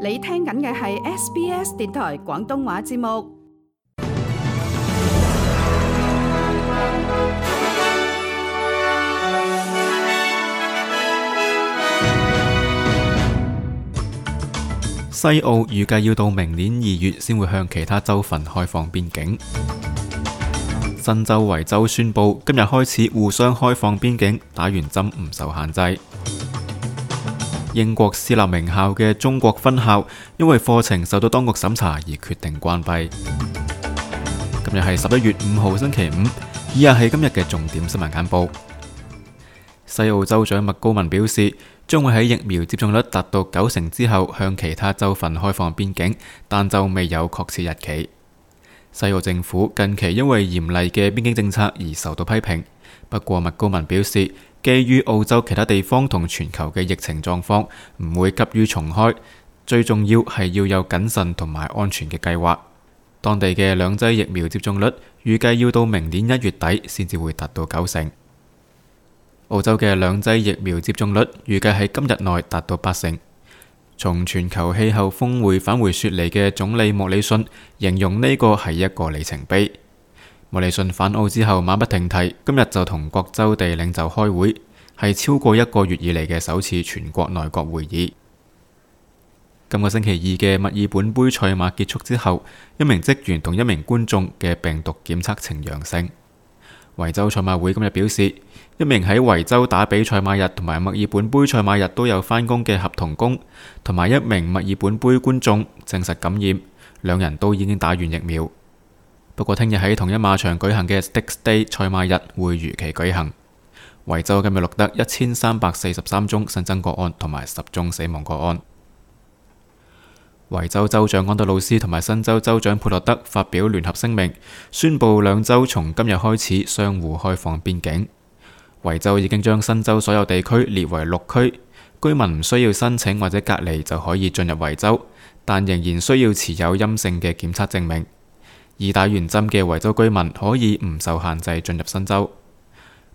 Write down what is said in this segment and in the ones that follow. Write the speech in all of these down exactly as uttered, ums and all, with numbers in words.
你聽緊嘅係 S B S 電台廣東話節目。西澳預計要到明年二月先會向其他州份開放邊境。新州維州宣布今日開始互相開放邊境，打完針唔受限制。英國私立名校嘅中國分校因為課程受到當局審查而決定關閉。今日係十一月五號星期五，以下係今日嘅重點新聞簡報。西澳州長麥高文表示，將會喺疫苗接種率達到九成之後向其他州份開放邊境，但就未有確切日期。西澳政府近期因為嚴厲嘅邊境政策而受到批評，不過麥高文表示，基於澳洲其他地方同全球嘅疫情狀況，唔會急於重開，最重要係要有謹慎同埋安全嘅計劃。當地嘅兩劑疫苗接種率預計要到明年一月底先至會達到九成。澳洲嘅兩劑疫苗接種率預計喺今日內達到八成。從全球氣候峰會返回雪梨嘅總理莫里遜形容呢個係一個里程碑。莫里遜返澳之後馬不停蹄，今日就同各州地領袖開會，係超過一個月以嚟嘅首次全國內閣會議。今個星期二嘅墨爾本杯賽馬結束之後，一名職員同一名觀眾嘅病毒檢測呈陽性。維州賽馬會今日表示，一名喺維州打比賽馬日同埋墨爾本杯賽馬日都有返工嘅合同工，同埋一名墨爾本杯觀眾證實感染，兩人都已經打完疫苗。不過聽日喺同一馬場舉行嘅 Stakes Day 賽馬日會如期舉行。維州今日錄得一千三百四十三宗新增個案同埋十宗死亡個案。維州州長安德魯斯同埋新州州長佩洛德發表聯合聲明，宣布兩州從今日開始相互開放邊境。維州已經將新州所有地區列為綠區，居民唔需要申請或者隔離就可以進入維州，但仍然需要持有陰性嘅檢測證明。已打完針嘅維州居民可以唔受限制進入新州。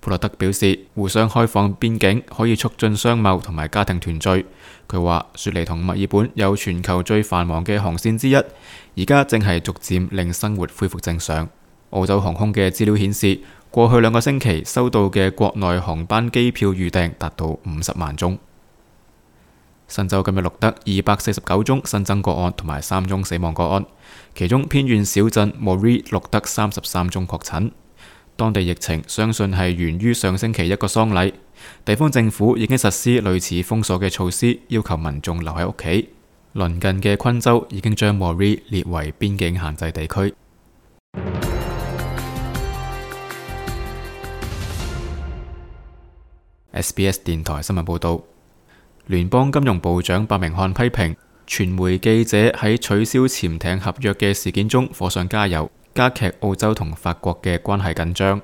佩洛德表示，互相開放邊境可以促進商貿同埋家庭團聚。佢話，雪梨同墨爾本有全球最繁忙嘅航線之一，而家正係逐漸令生活恢復正常。澳洲航空嘅資料顯示，過去兩個星期收到嘅國內航班機票預訂達到五十萬宗。新州今日錄得二百四十九宗新增個案同埋三宗死亡個案，其中偏遠小鎮 Moree 錄得三十三宗確診。當地疫情相信係源於上星期一個喪禮，地方政府已經實施類似封鎖嘅措施，要求民眾留喺屋企。鄰近嘅昆州已經將 Moree 列為邊境限制地區。S B S 電台新聞報道，聯邦金融部長白明漢批評傳媒記者喺取消潛艇合約嘅事件中火上加油，加劇澳洲同法國嘅關係緊張。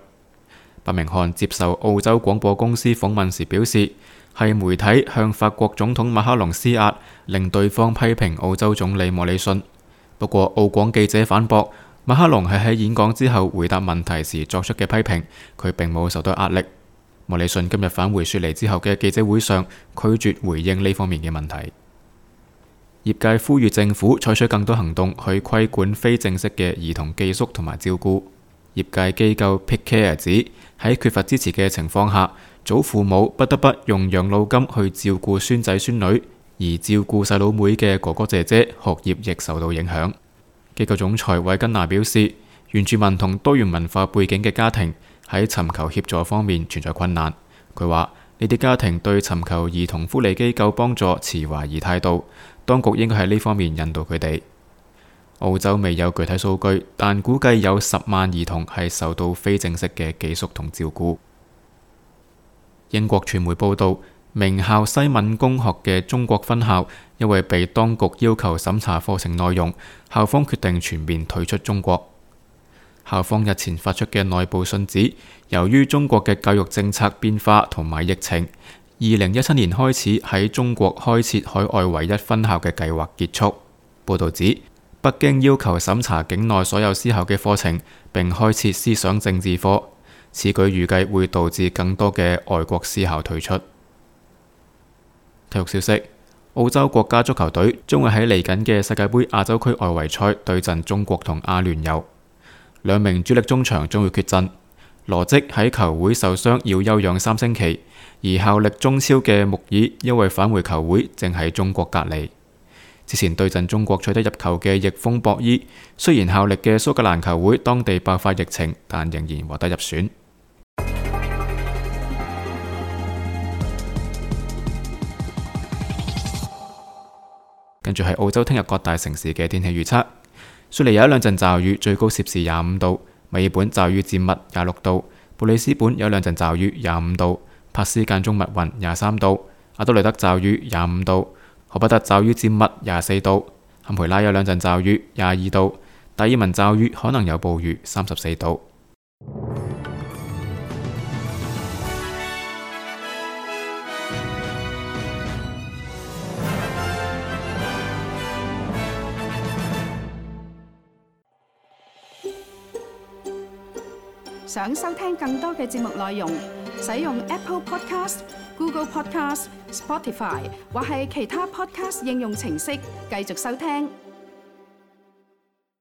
白明漢接受澳洲廣播公司訪問時表示，係媒體向法國總統馬克龍施壓，令對方批評澳洲總理莫里遜。不過澳廣記者反駁，馬克龍係喺演講之後回答問題時作出嘅批評，佢並冇受到壓力。莫里遜今日返回雪梨之後嘅記者會上，拒絕回應呢方面嘅問題。業界呼籲政府採取更多行動去規管非正式嘅兒童寄宿同埋照顧。業界機構 Pick Care 指，喺缺乏支持嘅情況下，祖父母不得不用養老金去照顧孫仔孫女，而照顧細佬妹嘅哥哥姐姐學業亦受到影響。機構總裁韋根娜表示，原住民同多元文化背景嘅家庭喺尋求協助方面存在困難。佢話呢啲家庭對尋求兒童福利機構幫助持懷疑態度，當局應該喺呢方面引導佢哋。澳洲未有具體數據，但估計有十萬兒童係受到非正式嘅寄宿同照顧。英國傳媒報道，名校西敏公學嘅中國分校因為被當局要求審查課程內容，校方決定全面退出中國。校方日前發出嘅內部信指，由於中國嘅教育政策變化同埋疫情，二零一七年開始喺中國開設海外唯一分校嘅計劃結束。報導指，北京要求審查境內所有私校嘅課程，並開設思想政治課。此舉預計會導致更多嘅外國私校退出。體育消息：澳洲國家足球隊將會喺嚟緊嘅世界盃亞洲區外圍賽對陣中國同阿聯酋，兩名主力中場將會缺陣。羅積喺球會受傷要休養三星期，而效力中超嘅穆爾因為返回球會正喺中國隔離。之前對陣中國取得入球嘅翼鋒博伊，雖然效力嘅蘇格蘭球會當地爆發疫情，但仍然獲得入選。跟住係澳洲聽日各大城市嘅天氣預測：雪梨有一兩陣驟雨，最高攝氏廿五度；墨爾本驟雨漸密廿六度；布里斯本有兩陣驟雨廿五度；珀斯間中密雲廿三度；阿德雷德驟雨廿五度；荷伯特驟雨漸密廿四度；坎培拉有兩陣驟雨廿二度；達爾文驟雨可能有暴雨三十四度。想收聽更多嘅節目內容，使用 Apple Podcast、Google Podcast、Spotify 或係其他 Podcast 應用程式繼續收聽。